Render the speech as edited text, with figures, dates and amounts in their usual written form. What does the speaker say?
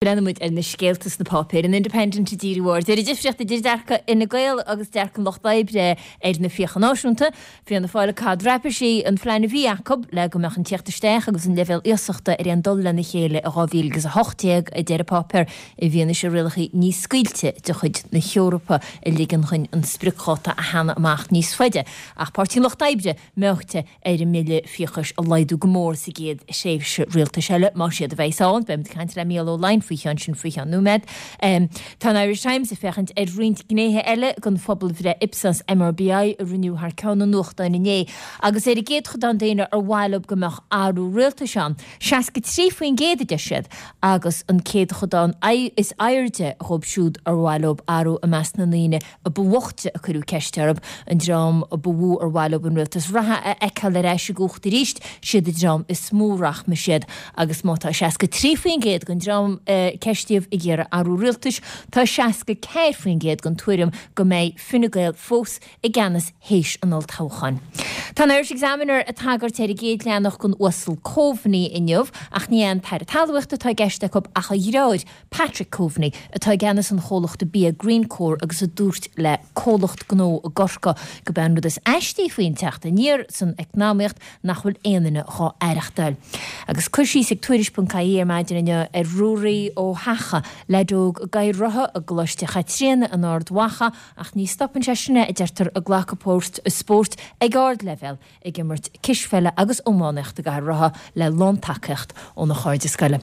Breathnóidh muid ar na scéalta sna páipéir. An Independent ag díriú aird ar an difríocht idir dearcadh Fhine Gael agus dearcadh an Lucht Oibre ar na fiacha náisiúnta. Fianna Fáil ag cur traipisí an phlean a bhí acu le go mbeadh an tíocht isteach agus an leibhéal iasachta ar aon dul lena chéile i 2018, a deir an páipéar, i bhfianaise rialacha níos scaoilte de chuid na hEorpa a ligeann chuinn an spriocdháta a theannadh amach níos faide. Ach Páirtí an Lucht Oibre meáite ar an mbille fiachais a laghdú go mór sa gcéad thréimhse rialtais eile, más iad a bheas ann. Beidh muid ag caint le Mícheál Ó Laighin faoi cheann sin faoi cheann nóiméad. Tá an Irish Times ag féachaint ar roinnt gnéithe eile den phobalbhreith Ipsos MRBI a rinneadh thar ceann an nuachtáin inné agus ar an gcéadchodán daoine ar mhaith leo go mbeadh athrú rialtais ann, 63% a deir siad, agus an céadchodán is airde dhóibh siúd ar mhaith leo athrú i measc na ndaoine a ba bhoichte a cuireadh ceist orthu, an dream a ba mhó ar mhaith leo an rialtas reatha a fheiceáil ar ais i gcumhacht arís, siad an dream is mó rachmais iad. Agus má tá 63% den dream a ceistíodh ag iarraidh athrú rialtais, tá 64% den tuairim go mbeidh Fine Gael fós i gceannas théis an olltoghcháin. Tá an Irish Examiner ag tagairt ar an gcéad leathanach don Uasal Coveney inniu, ach ní hé an tAire Talmhaíochta atá i gceist acu ach a dhreáir, Patrick Coveney, atá i gceannas an chomhlachta bia Greencore agus a dúirt le comhlacht gnó i gCorcaigh gurb é an rud is aistí faoin teacht aniar san eacnamaíocht nach bhfuil aon duine dhá aireachtáil. Agus cur síos ag Tuairisc.ie ar maidin inniu ar Ruairí Ó hEacha, leaid óg i gCathaoir rotha i gColáiste Chaitríona in Ard Mhacha ach ní stopann sé sin é, a deirtear, ag glacadh páirt i spóirt ag ardleibhéal, ag imirt cispheile agus iománaíocht i gcathaoir rotha le lántacaíocht óna chairde scoile.